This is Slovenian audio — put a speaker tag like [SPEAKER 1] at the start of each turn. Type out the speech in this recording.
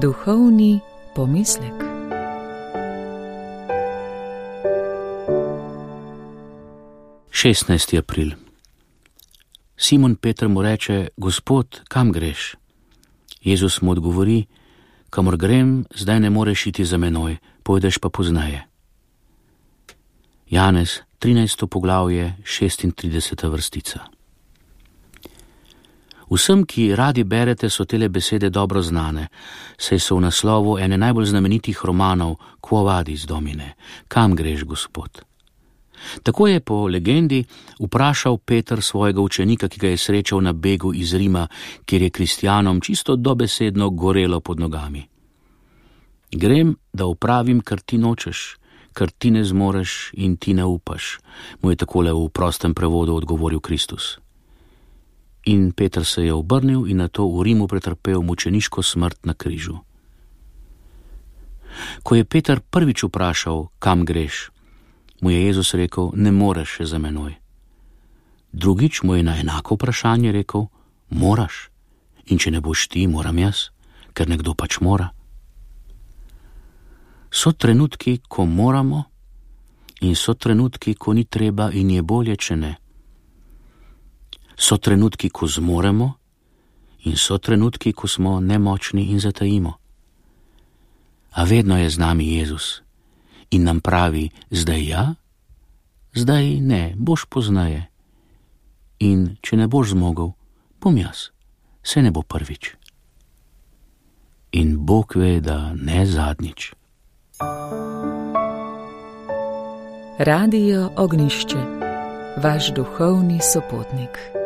[SPEAKER 1] Duhovni pomislek.
[SPEAKER 2] Šestnajsti april. Simon Peter mu reče: Gospod, kam greš? Jezus mu odgovori: Kamor grem, zdaj ne moreš iti za menoj, pojdeš pa pozneje. Janez, 13. poglavje, 36. vrstica. Vsem, ki radi berete, so tele besede dobro znane, saj so v naslovu ene najbolj znamenitih romanov Quo vadis, Domine, kam greš, Gospod? Tako je po legendi vprašal Peter svojega učenika, ki ga je srečal na begu iz Rima, kjer je kristjanom čisto dobesedno gorelo pod nogami. Grem, da opravim, kar ti nočeš, kar ti ne zmoreš in ti ne upaš, mu je takole v prostem prevodu odgovoril Kristus. In Peter se je obrnil in nato v Rimu pretrpel mučeniško smrt na križu. Ko je Peter prvič vprašal, kam greš, mu je Jezus rekel: ne moreš še za menoj. Drugič mu je na enako vprašanje rekel: moraš, in če ne boš ti, moram jaz, ker nekdo pač mora. So trenutki, ko moramo, in so trenutki, ko ni treba in je bolje, če ne. So trenutki, ko zmoremo, in so trenutki, ko smo nemočni in zatajimo. A vedno je z nami Jezus in nam pravi: zdaj ja, zdaj ne, boš pozneje. In če ne boš zmogel, bom jaz, se ne bo prvič. In Bog ve, da ne zadnjič.
[SPEAKER 1] Radio Ognjišče, vaš duhovni sopotnik.